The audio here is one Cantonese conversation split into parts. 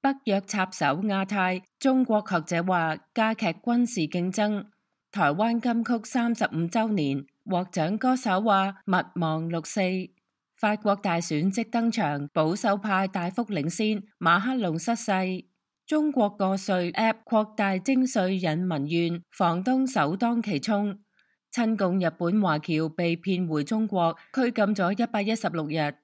北約插手亞太，中國學者話加劇軍事競爭。台灣金曲35週年，獲獎歌手話勿忘六四。法國大選即登場，保守派大幅領先，馬克龍失勢。中國個稅 App 擴大徵稅引民怨，房東首當其衝。親共日本華僑被騙回中國，拘禁咗116日。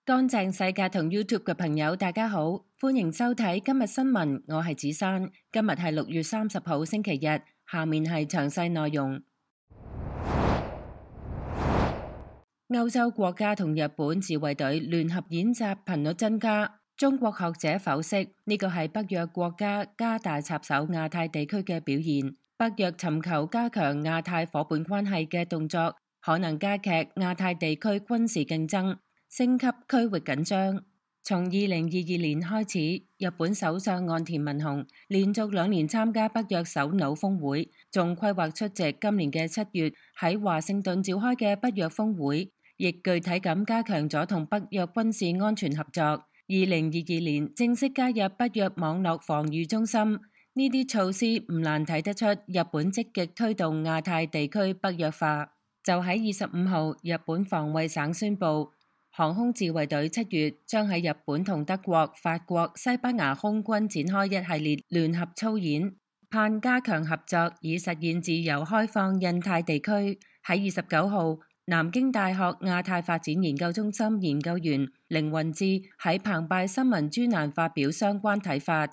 乾淨世界同 YouTube 嘅朋友，大家好，歡迎收睇今日新聞，我係子珊。今日係6月30號星期日，下面係詳細內容。歐洲國家同日本自衛隊聯合演習頻率增加，中國學者剖析呢個係北約國家加大插手亞太地區嘅表現。北約尋求加強亞太夥伴關係嘅動作，可能加劇亞太地區軍事競爭，升級區域緊張。從2022年開始，日本首相岸田文雄連續2年參加北約首腦峰會，仲規劃出席今年嘅7月喺華盛頓召開嘅北約峰會，亦具體咁加強咗同北約軍事安全合作。2022年正式加入北約網絡防禦中心，呢啲措施唔難睇得出日本積極推動亞太地區北約化。就喺25號，日本防衛省宣布，航空自衛隊7月將喺日本同德國、法國、西班牙空軍展開一系列聯合操演，盼加強合作以實現自由開放印太地區。喺29號，南京大學亞太發展研究中心研究員凌雲志喺澎湃新聞專欄發表相關睇法。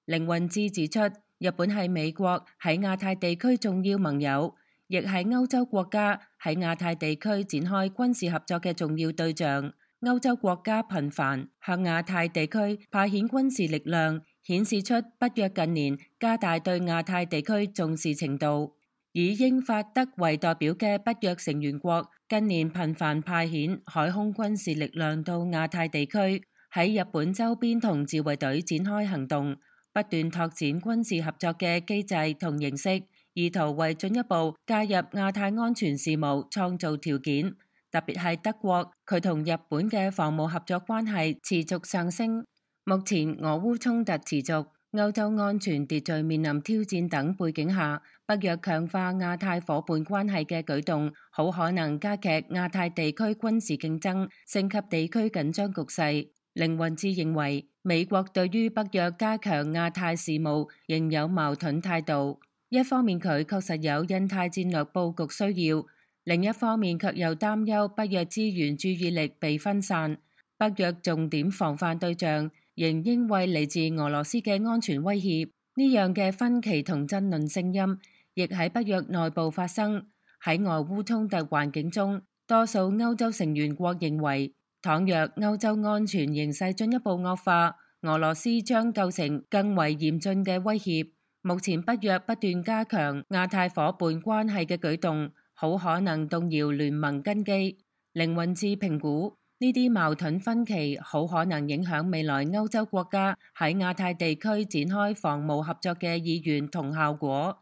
凌雲志指出，日本係美國喺亞太地區重要盟友，亦係歐洲國家喺亞太地區展開軍事合作嘅重要對象。歐洲國家頻繁向亞太地區派遣軍事力量，顯示出北約近年加大對亞太地區重視程度。以英法德為代表嘅北約成員國近年頻繁派遣海空軍事力量到亞太地區，喺日本周邊同自衛隊展開行動，不斷拓展軍事合作嘅機制同形式，意圖為進一步介入亞太安全事務創造條件。特別係德國，佢同日本嘅防務合作關係持續上升。目前俄烏衝突持續，歐洲安全秩序面臨挑戰等背景下，北約強化亞太夥伴關係嘅舉動，好可能加劇亞太地區軍事競爭，升級地區緊張局勢。凌雲志認為，美國對於北約加強亞太事務仍有矛盾態度。一方面佢確實有印太戰略佈局需要，另一方面卻又擔憂北約資源注意力被分散。北約重點防範對象仍應為嚟自俄羅斯嘅安全威脅。呢樣嘅分歧同爭論聲音亦喺北約內部發生。喺俄烏衝突環境中，多數歐洲成員國認為，倘若歐洲安全形勢進一步惡化，俄羅斯將構成更為嚴峻嘅威脅。目前北約不斷加強亞太夥伴關係嘅舉動，好可能動搖聯盟根基。凌雲志評估，呢啲矛盾分歧好可能影響未來歐洲國家喺亞太地區展開防務合作嘅意願同效果。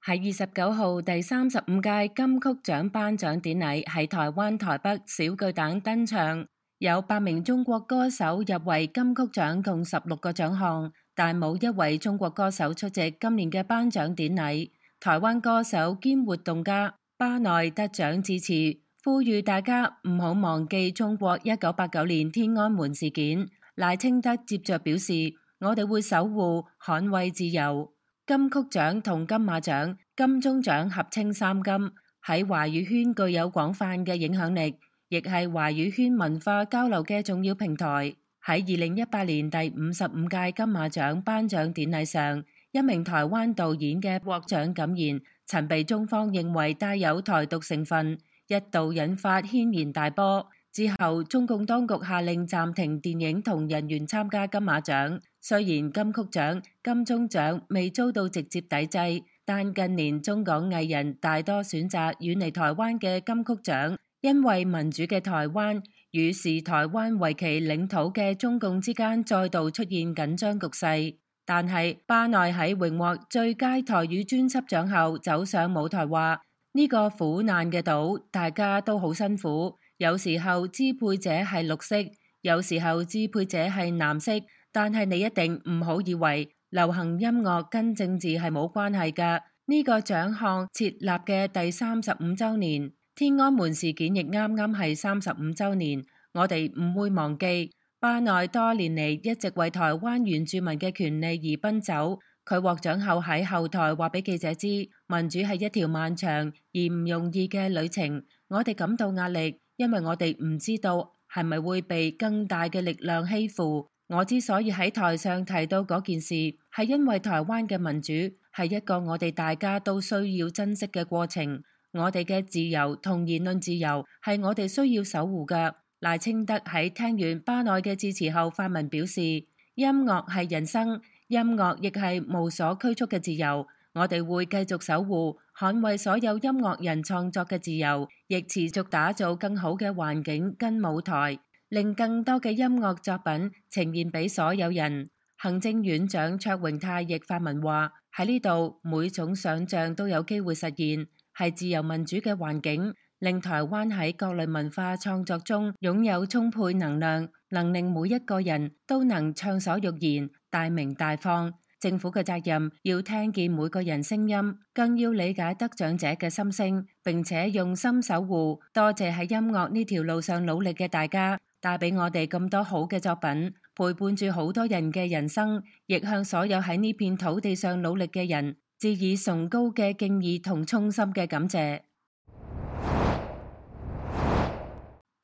喺29號第35屆金曲獎頒獎典禮喺台灣台北小巨蛋登場，有8名中國歌手入圍金曲獎共16個獎項，但冇一位中國歌手出席今年嘅頒獎典禮。台灣歌手兼活動家巴內得獎致辭，呼籲大家唔好忘記中國1989年天安門事件。賴清德接着表示，我哋會守護捍衛自由。金曲獎同金馬獎、金鐘獎合稱三金，喺華語圈具有廣泛嘅影響力，亦係華語圈文化交流嘅重要平台。喺2018年第55屆金馬獎頒獎典禮上，一名台灣導演嘅獲獎感言曾被中方認為帶有台獨成分，一度引發軒然大波。之後，中共當局下令暫停電影同人員參加金馬獎。雖然金曲獎、金鐘獎未遭到直接抵制，但近年中港藝人大多選擇遠離台灣嘅金曲獎，因為民主嘅台灣與視台灣為其領土嘅中共之間再度出現緊張局勢。但係巴內喺榮獲最佳台語專輯獎後走上舞台話，呢個苦難嘅島，大家都好辛苦。有時候支配者係綠色，有時候支配者係藍色。但係你一定唔好以為流行音樂跟政治係冇關係㗎。呢個獎項設立嘅第35週年，天安門事件亦啱啱係35週年。我哋唔會忘記巴內多年嚟一直為台灣原住民嘅權利而奔走。佢獲獎後喺後台話俾記者知，民主係一條漫長而唔容易嘅旅程。我哋感到壓力，因為我哋唔知道係咪會被更大嘅力量欺負。我之所以喺台上提到嗰件事，係因為台灣嘅民主係一個我哋大家都需要珍惜嘅過程。我哋嘅自由同言論自由係我哋需要守護嘅。賴清德喺聽完巴內嘅致辭後發文表示，音樂係人生。音樂亦係無所拘束嘅自由，我哋會繼續守護、捍衛所有音樂人創作嘅自由，亦持續打造更好嘅環境跟舞台，令更多嘅音樂作品呈現俾所有人。行政院長卓榮泰亦發文話：喺呢度每種想像都有機會實現，係自由民主嘅環境，令台灣喺各類文化創作中擁有充沛能量，能令每一個人都能暢所欲言、大鳴大放。政府嘅責任要聽見每個人聲音，更要理解得獎者嘅心聲，並且用心守護。多謝喺音樂呢條路上努力嘅大家，帶俾我哋咁多好嘅作品，陪伴住好多人嘅人生，亦向所有喺呢片土地上努力嘅人致以崇高嘅敬意同衷心嘅感謝。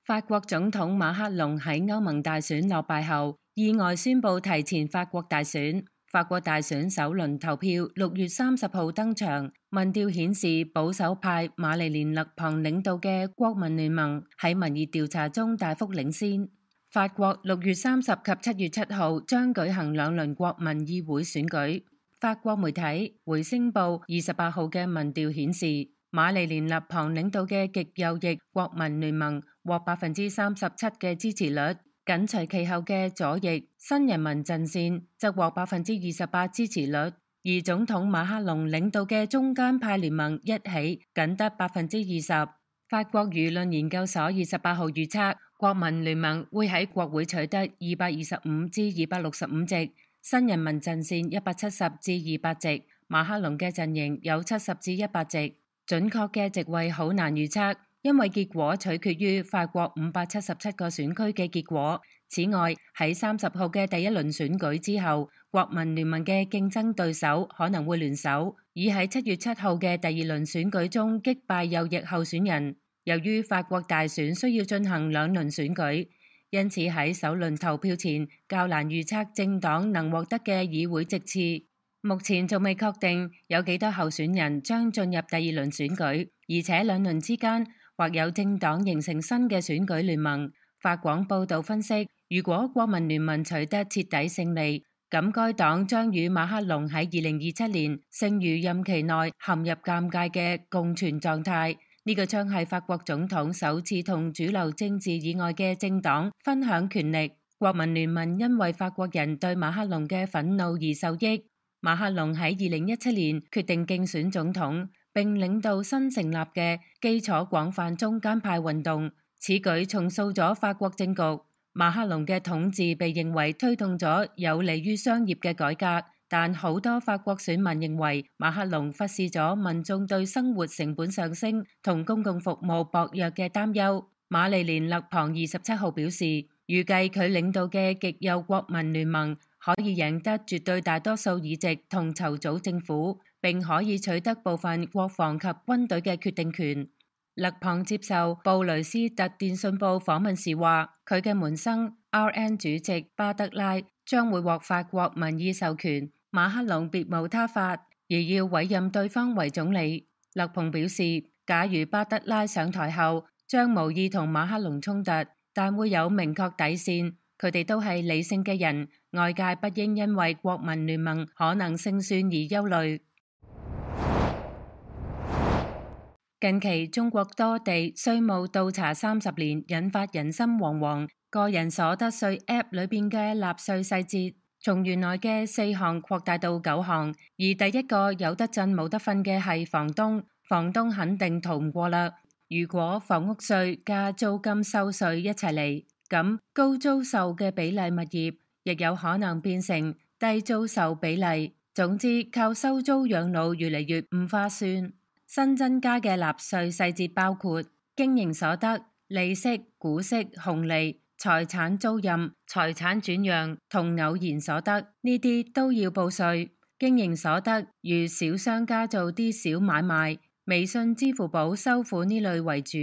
法國總統馬克龍喺歐盟大選落敗後，意外宣布提前法國大選。法國大選首輪投票6月30號登場，民調顯示保守派瑪麗蓮勒龐領導嘅國民聯盟喺民意調查中大幅領先。法國6月30及7月7號將舉行2輪國民議會選舉。法國媒體《回聲報》28號嘅民調顯示，瑪麗蓮勒龐領導嘅極右翼國民聯盟獲37%嘅支持率。緊隨其後嘅左翼新人民陣線則獲28%支持率，而總統馬克龍領導嘅中間派聯盟一起僅得20%。法國輿論研究所28號預測，國民聯盟會喺國會取得225至265席，新人民陣線170至200席，馬克龍嘅陣營有70至100席。準確嘅席位好難預測，因為結果取決於法國577個選區嘅結果。此外，喺30號嘅第一輪選舉之後，國民聯盟嘅競爭對手可能會聯手，以喺7月7號嘅第二輪選舉中擊敗右翼候選人。由於法國大選需要進行2輪選舉，因此喺首輪投票前較難預測政黨能獲得嘅議會席次。目前仲未確定有幾多候選人將進入第二輪選舉，而且2輪之間或有政黨形成新嘅選舉聯盟。法廣報道分析，如果國民聯盟取得徹底勝利，咁該黨將與馬克龍喺2027年剩餘任期內陷入尷尬嘅共存狀態。呢個將係法國總統首次同主流政治以外嘅政黨分享權力。國民聯盟因為法國人對馬克龍嘅憤怒而受益。馬克龍喺2017年決定競選總統，並領導新成立嘅基礎廣泛中間派運動，此舉重塑咗法國政局。馬克龍嘅統治被認為推動咗有利於商業嘅改革，但好多法國選民認為馬克龍忽視咗民眾對生活成本上升同公共服務薄弱嘅擔憂。瑪麗蓮勒龐27號表示，預計佢領導嘅極右國民聯盟可以贏得絕對大多數議席同籌組政府，並可以取得部分國防及軍隊嘅決定權。勒龐接受布雷斯特電訊報訪問時話，佢嘅門生 RN 主席巴德拉將會獲法國民意授權，馬克龍別無他法，而要委任對方為總理。勒龐表示，假如巴德拉上台後，將無意同馬克龍衝突，但會有明確底線。佢哋都係理性嘅人，外界不應因為國民聯盟可能勝算而憂慮。近期中國多地稅務倒查30年，引發人心惶惶。個人所得稅 App 裏邊嘅納稅細節，從原來嘅4項擴大到9項，而第一個有得震冇得瞓嘅係房東。房東肯定逃唔過啦。如果房屋稅加租金收稅一齊嚟，咁高租售嘅比例物業亦有可能變成低租售比例。總之，靠收租養老越嚟越唔划算。新增加嘅納稅細節包括經營所得、利息、股息、紅利、財產租賃、財產轉讓同偶然所得，呢啲都要報稅。經營所得如小商家做啲小買賣，微信、支付寶收款呢類為主。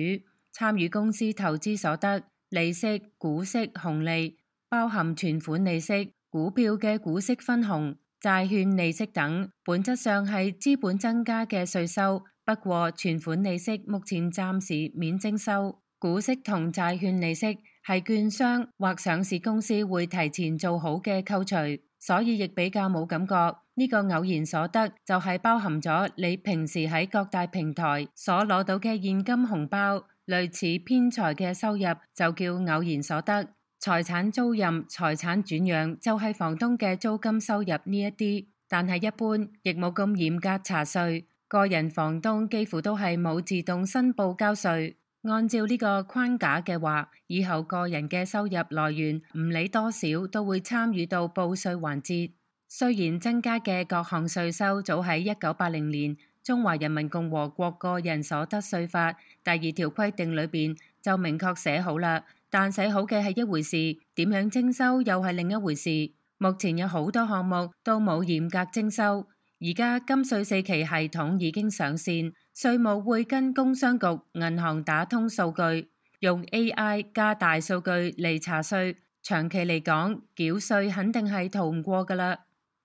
參與公司投資所得、利息、股息、紅利，包含存款利息、股票嘅股息分紅、債券利息等，本質上係資本增加嘅稅收。不過存款利息目前暫時免徵收，股息同債券利息係券商或上市公司會提前做好嘅扣除，所以亦比較冇感覺。呢個偶然所得就係包含咗你平時喺各大平台所攞到嘅現金紅包，類似偏財嘅收入就叫偶然所得。財產租賃、財產轉讓就係房東嘅租金收入呢一啲，但係一般亦冇咁嚴格查稅。個人房東幾乎都係冇自動申報交稅。按照呢個框架嘅話，以後個人嘅收入來源唔理多少都會參與到報稅環節。雖然增加嘅各項稅收早喺1980年中華人民共和國個人所得稅法第2條規定裏邊就明確寫好啦，但寫好嘅係一回事，點樣徵收又係另一回事。目前有好多項目都冇嚴格徵收。而家金稅4期系統已經上線，稅務會跟工商局、銀行打通數據，用 AI 加大數據嚟查稅。長期嚟講，繳稅肯定係逃唔過㗎喇。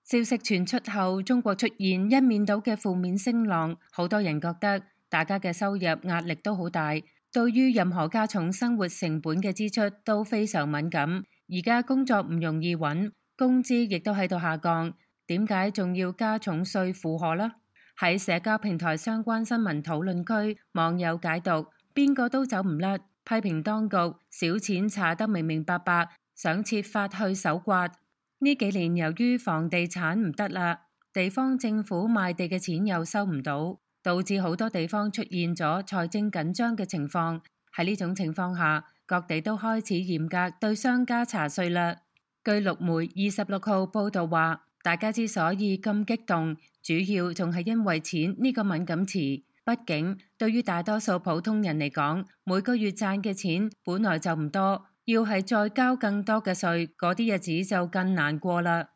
消息傳出後，中國出現一面倒嘅負面聲浪，好多人覺得大家嘅收入壓力都好大，對於任何加重生活成本嘅支出都非常敏感。而家工作唔容易揾，工資亦都喺度下降。點解仲要加重稅負荷呢？喺社交平台相關新聞討論區，網友解讀邊個都走唔甩，批評當局小錢查得明明白白，想設法去搜刮。呢幾年由於房地產唔得啦，地方政府賣地嘅錢又收唔到，導致好多地方出現咗財政緊張嘅情況。喺呢種情況下，各地都開始嚴格對商家查稅啦。據陸媒26號報道話，大家之所以咁激動，主要仲係因為錢呢個敏感詞。畢竟對於大多數普通人嚟講，每個月賺嘅錢本來就唔多，要係再交更多嘅稅，嗰啲日子就更難過啦。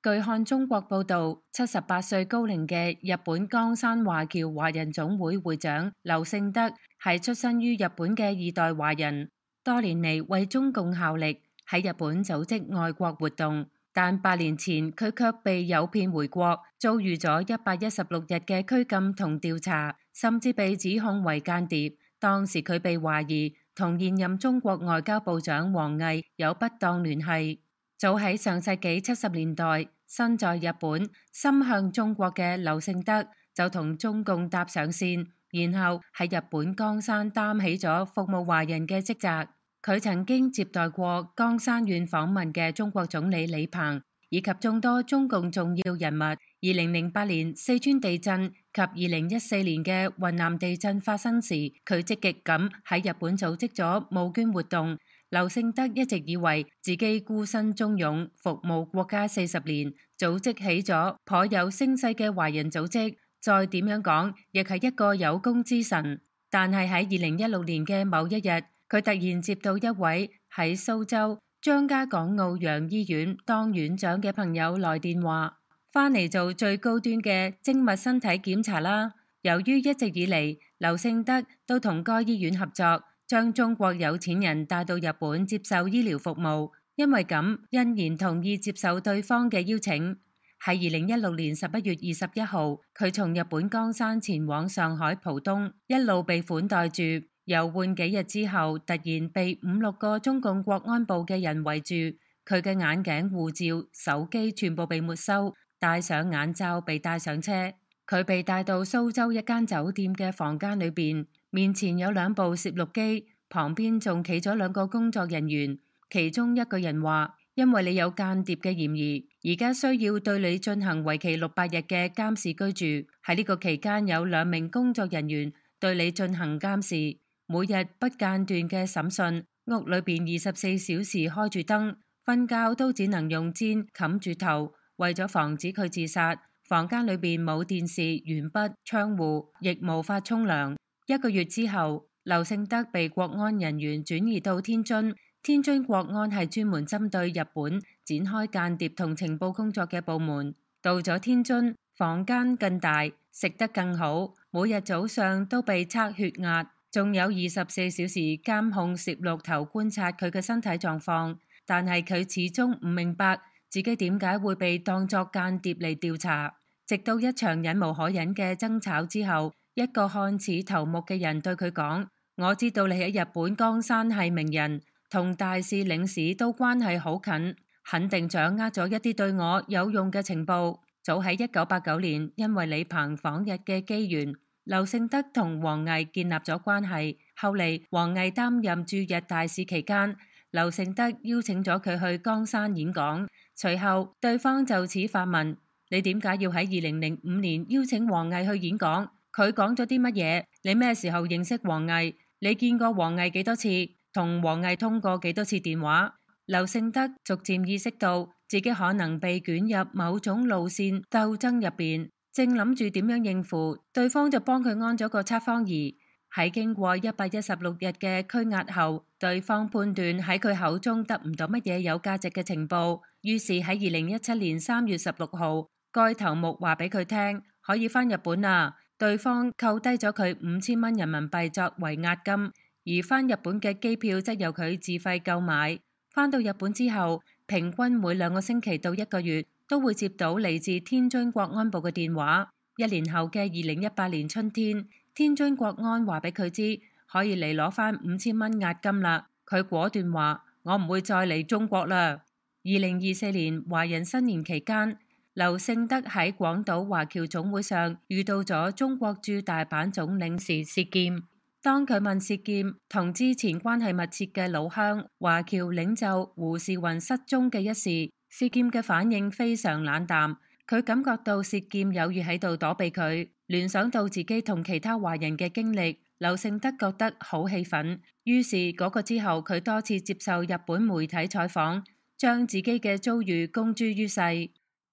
據看中國報道，78歲高齡嘅日本江山華僑華人總會會長劉勝德係出身於日本嘅2代華人，多年嚟為中共效力，喺日本組織愛國活動，但8年前佢卻被誘騙回國，遭遇咗116日嘅拘禁同調查，甚至被指控為間諜。當時佢被懷疑同現任中國外交部長王毅有不當聯繫。早喺上世紀70年代，身在日本心向中國嘅劉勝德就同中共搭上線，然後喺日本江山擔起咗服務華人嘅職責。佢曾經接待過江山縣訪問嘅中國總理李鵬，以及眾多中共重要人物。2008年四川地震及2014年嘅雲南地震發生時，佢積極咁喺日本組織咗募捐活動。劉勝德一直以為自己孤身忠勇，服務國家40年，組織起咗頗有聲勢嘅華人組織，再點樣講，亦係一個有功之臣。但係喺2016年嘅某一日，佢突然接到一位喺蘇州張家港澳洋醫院當院長嘅朋友來電話，返嚟做最高端嘅精密身體檢查啦。由於一直以嚟劉勝德都同該醫院合作，將中國有錢人帶到日本接受醫療服務，因為咁欣然同意接受對方嘅邀請。喺2016年11月21號，佢從日本江山前往上海浦東，一路被款待住。遊玩幾日之後，突然被5-6個中共國安部嘅人圍住，佢嘅眼鏡、護照、手機全部被沒收，戴上眼罩被帶上車。佢被帶到蘇州一間酒店嘅房間裏邊，面前有2部攝錄機，旁邊仲企咗2個工作人員。其中一個人話：因為你有間諜嘅嫌疑，而家需要對你進行為期600日嘅監視居住。喺呢個期間，有2名工作人員對你進行監視，每日不間斷嘅審訊。屋裏邊24小時開住燈，瞓覺都只能用氈冚住頭，為咗防止佢自殺。房間裏邊冇電視、鉛筆、窗戶，亦無法沖涼。1個月之後，劉勝德被國安人員轉移到天津。天津國安係專門針對日本展開間諜同情報工作嘅部門。到咗天津，房間更大，食得更好，每日早上都被測血壓，仲有24小時監控攝錄頭觀察佢嘅身體狀況。但係佢始終唔明白自己點解會被當作間諜嚟調查。直到一場忍無可忍嘅爭吵之後，一個看似頭目嘅人對佢講：我知道你喺日本江山係名人，同大使領事都關係好近，肯定掌握咗一啲對我有用嘅情報。早喺1989年，因為李鵬訪日嘅機緣，劉勝德同王毅建立咗關係。後嚟王毅擔任駐日大使期間，劉勝德邀請咗佢去江山演講。隨後對方就此發問：你點解要喺2005年邀請王毅去演講？佢講咗啲乜嘢？你咩時候認識王毅？你見過王毅幾多次？同王毅通過幾多次電話？劉勝德逐漸意識到自己可能被捲入某種路線鬥爭入邊，正諗住點樣應付，對方就幫佢安咗個測謊儀。喺經過116日嘅拘押後，對方判斷喺佢口中得唔到乜嘢有價值嘅情報，於是喺2017年3月16號，該頭目話俾佢聽可以返日本啦。對方扣低咗佢5000蚊人民幣作為押金，而返日本嘅機票則由佢自費購買。返到日本之後，平均每2個星期到1個月都會接到嚟自天津國安部嘅電話。1年後嘅2018年春天，天津國安話俾佢知可以嚟攞返5000蚊押金啦。佢果斷話：我唔會再嚟中國啦。2024年華人新年期間，劉勝德喺廣島華僑總會上遇到咗中國駐大阪總領事薛劍。當佢問薛劍同之前關係密切嘅老鄉華僑領袖胡士雲失蹤嘅一事，薛劍嘅反應非常冷淡。佢感覺到薛劍有意喺度躲避佢，聯想到自己同其他華人嘅經歷，劉勝德覺得好氣憤。於是嗰個之後，佢多次接受日本媒體採訪，將自己嘅遭遇公諸於世。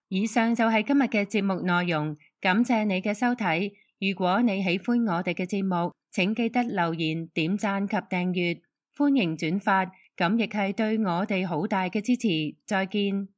以上就係今日嘅節目內容，感謝你嘅收睇。如果你喜歡我哋嘅節目，請記得留言、點讚及訂閱，歡迎轉發，咁亦係對我哋好大嘅支持。再見。